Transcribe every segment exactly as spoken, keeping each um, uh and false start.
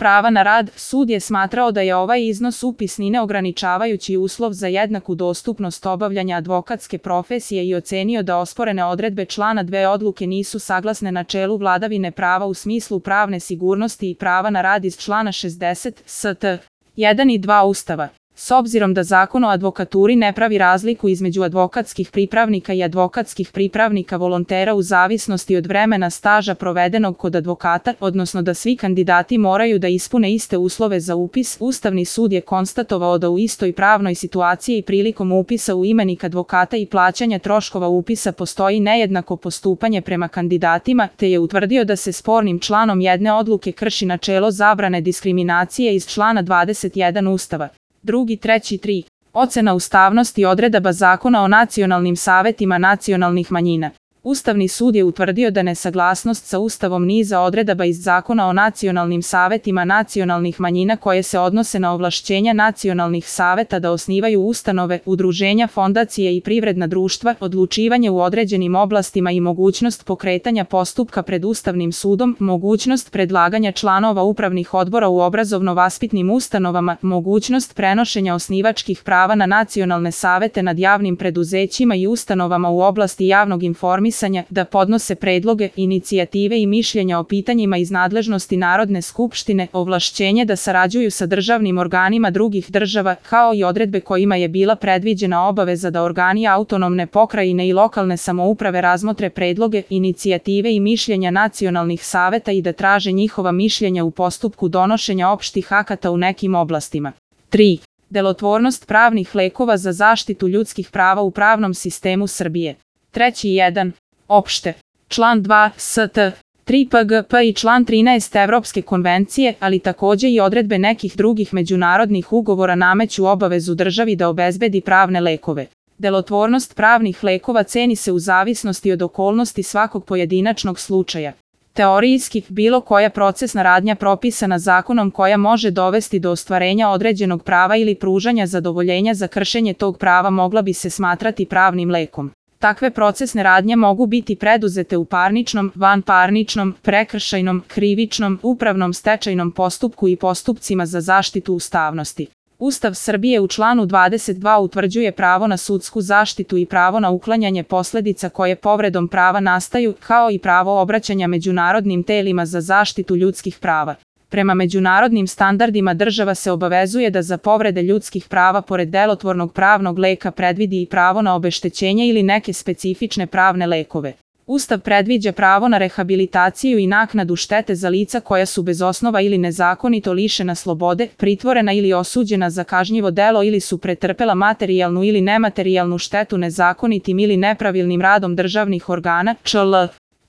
prava na rad, sud je smatrao da je ovaj iznos upisni neograničavajući uslov za jednaku dostupnost obavljanja advokatske profesije i ocenio da osporene odredbe člana dve odluke nisu saglasne načelu vladavine prava u smislu pravne sigurnosti i prava na rad iz člana šezdeset st. jedan i dva Ustava. S obzirom da Zakon o advokaturi ne pravi razliku između advokatskih pripravnika i advokatskih pripravnika volontera u zavisnosti od vremena staža provedenog kod advokata, odnosno da svi kandidati moraju da ispune iste uslove za upis, Ustavni sud je konstatovao da u istoj pravnoj situaciji prilikom upisa u imenik advokata i plaćanja troškova upisa postoji nejednako postupanje prema kandidatima, te je utvrdio da se spornim članom jedne odluke krši načelo zabrane diskriminacije iz člana dvadeset jedan Ustava. Drugi, treći, tri. Ocena ustavnosti odredaba Zakona o nacionalnim savetima nacionalnih manjina. Ustavni sud je utvrdio da nesaglasnost sa Ustavom niza odredaba iz Zakona o nacionalnim savetima nacionalnih manjina koje se odnose na ovlašćenja nacionalnih saveta da osnivaju ustanove, udruženja, fondacije i privredna društva, odlučivanje u određenim oblastima i mogućnost pokretanja postupka pred Ustavnim sudom, mogućnost predlaganja članova upravnih odbora u obrazovno-vaspitnim ustanovama, mogućnost prenošenja osnivačkih prava na nacionalne savete nad javnim preduzećima i ustanovama u oblasti javnog informisanja, da podnose predloge, inicijative i mišljenja o pitanjima iz nadležnosti Narodne skupštine, ovlašćenje da sarađuju sa državnim organima drugih država, kao i odredbe kojima je bila predviđena obaveza da organi autonomne pokrajine i lokalne samouprave razmotre predloge, inicijative i mišljenja nacionalnih saveta i da traže njihova mišljenja u postupku donošenja opštih akata u nekim oblastima. tri. Delotvornost pravnih lekova za zaštitu ljudskih prava u pravnom sistemu Srbije. Treći jedan. Opšte. Član dva st. tri P G P i član trinaest Evropske konvencije, ali takođe i odredbe nekih drugih međunarodnih ugovora nameću obavezu državi da obezbedi pravne lekove. Delotvornost pravnih lekova ceni se u zavisnosti od okolnosti svakog pojedinačnog slučaja. Teorijski, bilo koja procesna radnja propisana zakonom koja može dovesti do ostvarenja određenog prava ili pružanja zadovoljenja za kršenje tog prava mogla bi se smatrati pravnim lekom. Takve procesne radnje mogu biti preduzete u parničnom, vanparničnom, prekršajnom, krivičnom, upravnom, stečajnom postupku i postupcima za zaštitu ustavnosti. Ustav Srbije u članu dvadeset dva utvrđuje pravo na sudsku zaštitu i pravo na uklanjanje posledica koje povredom prava nastaju, kao i pravo obraćanja međunarodnim telima za zaštitu ljudskih prava. Prema međunarodnim standardima država se obavezuje da za povrede ljudskih prava pored delotvornog pravnog leka predvidi i pravo na obeštećenje ili neke specifične pravne lekove. Ustav predviđa pravo na rehabilitaciju i naknadu štete za lica koja su bez osnova ili nezakonito lišena slobode, pritvorena ili osuđena za kažnjivo delo ili su pretrpela materijalnu ili nematerijalnu štetu nezakonitim ili nepravilnim radom državnih organa, čl.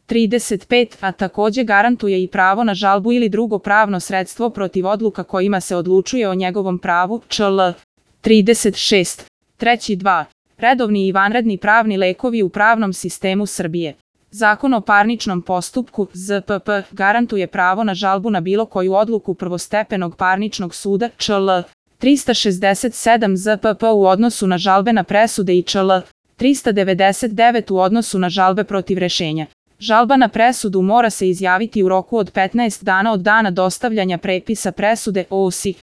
trideset pet, a takođe garantuje i pravo na žalbu ili drugo pravno sredstvo protiv odluka kojima se odlučuje o njegovom pravu, čl. trideset šest. Treći dva. Redovni i vanredni pravni lekovi u pravnom sistemu Srbije. Zakon o parničnom postupku, Z P P, garantuje pravo na žalbu na bilo koju odluku prvostepenog parničnog suda, čl. trista šezdeset sedam Z P P u odnosu na žalbene presude i čl. trista devedeset devet u odnosu na žalbe protiv rešenja. Žalba na presudu mora se izjaviti u roku od petnaest dana od dana dostavljanja prepisa presude, O S I.